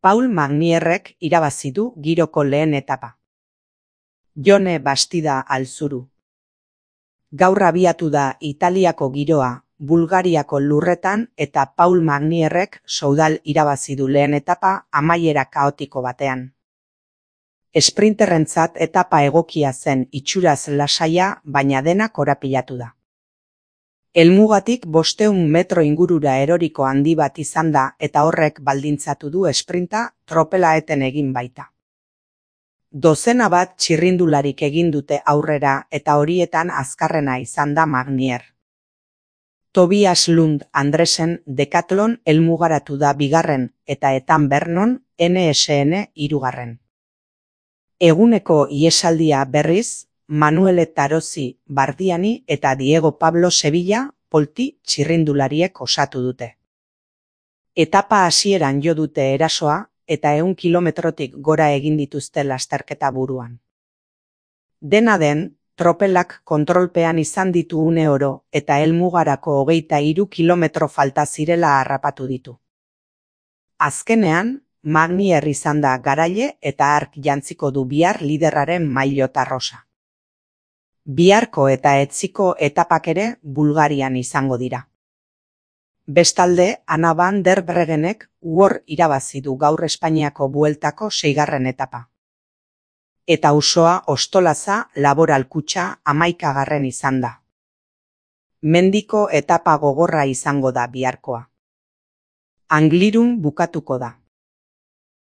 Paul Magnierrek irabazi du giroko lehen etapa. Jone Bastida Alzuru. Gaur abiatu da Italiako giroa, Bulgariako lurretan eta Paul Magnierrek Soudal irabazi du lehen etapa amaiera kaotiko batean. Esprinterrentzat etapa egokia zen itxuraz lasaia, baina dena korapilatu da. Helmugatik 500 metro ingurura eroriko handi bat izan da eta horrek baldintzatu du esprinta tropela eten egin baita. Dozena bat txirrindularik egin dute aurrera eta horietan azkarrena izan da Magnier. Tobias Lund Andresen Decathlon helmugaratu da 2. eta Etan Bernon NSN 3. Eguneko ihesaldia berriz, Manuele Tarosi Bardiani eta Diego Pablo Sevilla polti txirrindulariek osatu dute. Etapa hasieran jo dute erasoa eta 100 kilometrotik gora egin dituzte lasterketa buruan. Dena den, tropelak kontrolpean izan ditu une oro eta helmugarako 23 kilometro falta zirela harrapatu ditu. Azkenean, Magnier izan da garaile eta hark jantziko du bihar liderraren maillota rosa. Biharko eta etziko etapak ere Bulgarian izango dira. Bestalde, Anna van der Bregenek irabazi du gaur Espainiako bueltako 6. etapa. Eta Usoa Ostolaza Laboral Kutxa 11. izan da. Mendiko etapa gogorra izango da biharkoa. Anglirun bukatuko da.